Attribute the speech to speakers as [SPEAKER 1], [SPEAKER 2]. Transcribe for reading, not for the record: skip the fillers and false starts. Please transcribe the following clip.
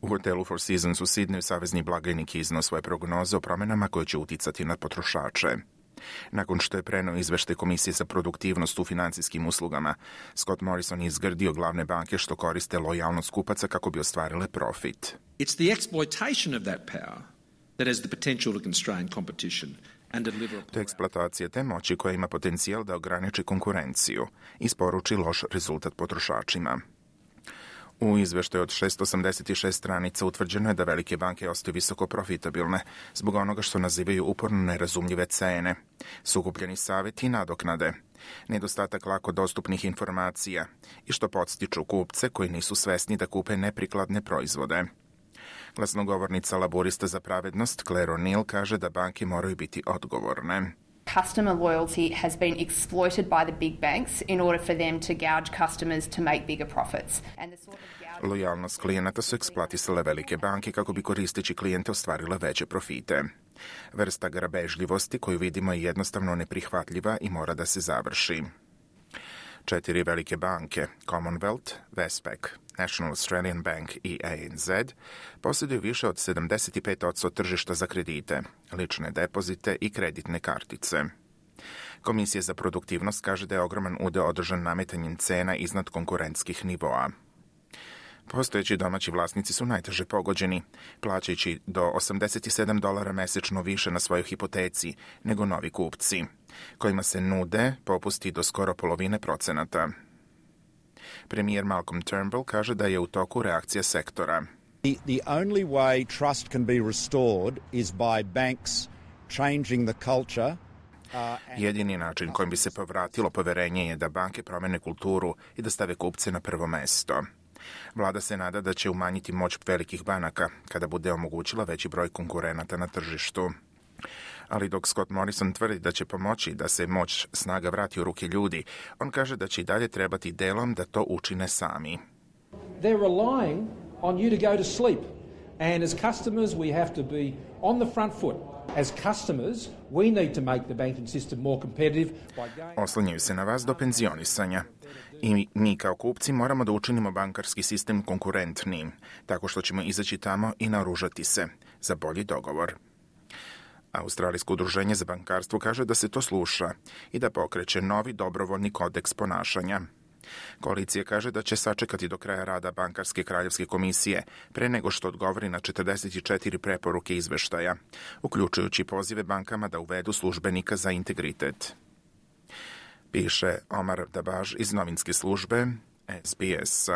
[SPEAKER 1] U hotelu Four Seasons u Sidneju savezni blagajnik iznao svoje prognoze o promjenama koje će uticati na potrošače. Nakon što je preneo izveštaj Komisije za produktivnost u financijskim uslugama, Scott Morrison je izgrdio glavne banke što koriste lojalnost kupaca kako bi ostvarile profit.
[SPEAKER 2] It's the exploitation of that power that has the potential to constrain competition.
[SPEAKER 1] To je eksploatacija te moći koja ima potencijal da ograniči konkurenciju i isporuči loš rezultat potrošačima. U izveštaju od 686 stranica utvrđeno je da velike banke ostaju visoko profitabilne zbog onoga što nazivaju uporno nerazumljive cene, sukupljeni savjeti i nadoknade, nedostatak lako dostupnih informacija i što podstiču kupce koji nisu svesni da kupe neprikladne proizvode. Glasnogovornica laborista za pravednost Claire O'Neill kaže da banke moraju biti odgovorne.
[SPEAKER 3] Customer loyalty has been exploited by the big banks in order for them to gouge customers to make bigger profits.
[SPEAKER 1] Lojalnost klijenata su eksploatisale velike banke kako bi koristeći klijente ostvarile veće profite. Vrsta grabežljivosti koju vidimo je jednostavno neprihvatljiva i mora da se završi. 4 velike banke, Commonwealth, Westpac, National Australian Bank i ANZ, posjeduju više od 75% tržišta za kredite, lične depozite i kreditne kartice. Komisija za produktivnost kaže da je ogroman udeo održan nametanjem cena iznad konkurentskih nivoa. Postojeći domaći vlasnici su najteže pogođeni, plaćajući do $87 mesečno više na svojoj hipoteci nego novi kupci, kojima se nude popusti do skoro polovine procenata. Premijer Malcolm Turnbull kaže da je u toku reakcija sektora.
[SPEAKER 4] The only way trust can be restored is by banks changing the culture.
[SPEAKER 1] Jedini način kojim bi se povratilo poverenje je da banke promene kulturu i da stave kupce na prvo mesto. Vlada se nada da će umanjiti moć velikih banaka kada bude omogućila veći broj konkurenata na tržištu. Ali dok Scott Morrison tvrdi da će pomoći da se moć snaga vrati u ruke ljudi, on kaže da će i dalje trebati delom da to učine sami.
[SPEAKER 5] They're relying on you to go to sleep. And as customers we have to be on the front foot. As customers, we need to make the banking system more competitive by going...
[SPEAKER 1] Oslanjaju se na vas do penzionisanja. I mi kao kupci moramo da učinimo bankarski sistem konkurentnim, tako što ćemo izaći tamo i naoružati se za bolji dogovor. Australijsko udruženje za bankarstvo kaže da se to sluša i da pokreće novi dobrovoljni kodeks ponašanja. Koalicija kaže da će sačekati do kraja rada Bankarske kraljevske komisije pre nego što odgovori na 44 preporuke izveštaja, uključujući pozive bankama da uvedu službenika za integritet. Piše Omar Dabaž iz novinske službe SBS.